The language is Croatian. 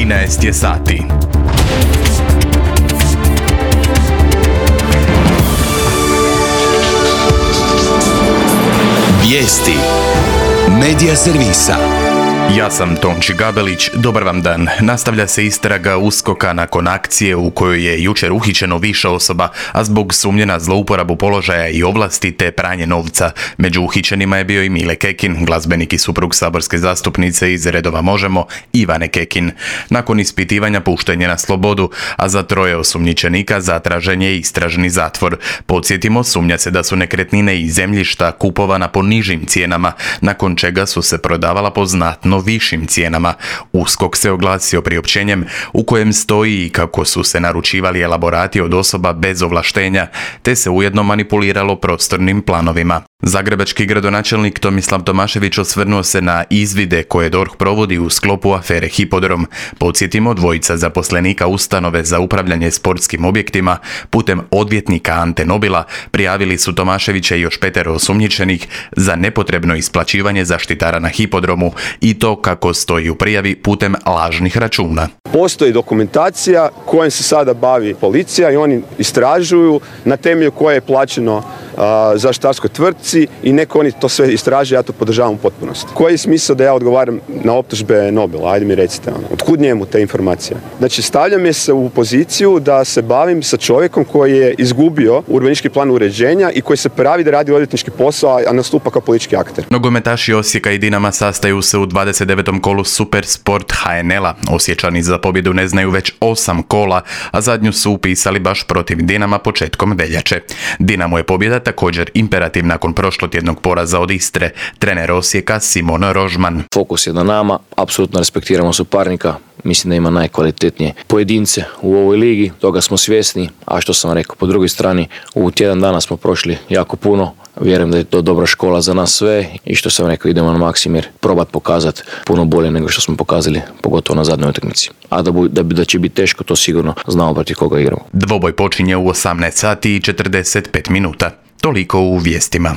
13 je sati. Vijesti Medija servisa. Ja sam Tonči Gabelić, dobar vam dan. Nastavlja se istraga USKOK-a nakon akcije u kojoj je jučer uhićeno više osoba, a zbog sumnje na zlouporabu položaja i ovlasti te pranje novca. Među uhićenima je bio i Mile Kekin, glazbenik i suprug saborske zastupnice iz redova Možemo, Ivane Kekin. Nakon ispitivanja pušten je na slobodu, a za 3 osumnjičenika zatražen je istražni zatvor. Podsjetimo, sumnja se da su nekretnine i zemljišta kupovana po nižim cijenama, nakon čega su se prodavala po znatno višim cijenama. USKOK se oglasio priopćenjem u kojem stoji i kako su se naručivali elaborati od osoba bez ovlaštenja, te se ujedno manipuliralo prostornim planovima. Zagrebački gradonačelnik Tomislav Tomašević osvrnuo se na izvide koje DORH provodi u sklopu afere Hipodrom. Podsjetimo, 2 zaposlenika ustanove za upravljanje sportskim objektima putem odvjetnika Ante Nobila prijavili su Tomaševića i još 5 osumnjičenih za nepotrebno isplaćivanje zaštitara na hipodromu, i to, kako stoji u prijavi, putem lažnih računa. Postoji dokumentacija kojom se sada bavi policija i oni istražuju na temelju koje je plaćeno zaštitarskoj tvrtci i neko oni to sve istraže, ja to podržavam u potpunosti. Koji je smisao da ja odgovaram na optužbe Nobila? Ajde mi recite, otkud njemu te informacije? Znači, stavljam je se u poziciju da se bavim sa čovjekom koji je izgubio urbanistički plan uređenja i koji se pravi da radi odvjetnički posao, a nastupa kao politički akter. Nogometaši Osijeka i Dinama sastaju se u 29. kolu Super Sport HNL-a. Osječani za pobjedu ne znaju već 8 kola, a zadnju su upisali baš protiv Dinama početkom veljače. Dinamo je pobjeda također imperativ nakon prošlotjednog poraza od Istre. Trener Osijeka Simon Rožman. Fokus je na nama, apsolutno respektiramo suparnika. Mislim da ima najkvalitetnije pojedince u ovoj ligi, toga smo svjesni, a što sam rekao, po drugoj strani u tjedan dana smo prošli jako puno. Vjerujem da je to dobra škola za nas sve i što sam rekao, idemo na Maksimir probat pokazati puno bolje nego što smo pokazali, pogotovo na zadnjoj utakmici. A da će biti teško, to sigurno znamo protiv koga igramo. Dvoboj počinje u 18 sati i 45 minuta. Toliko u vijestima.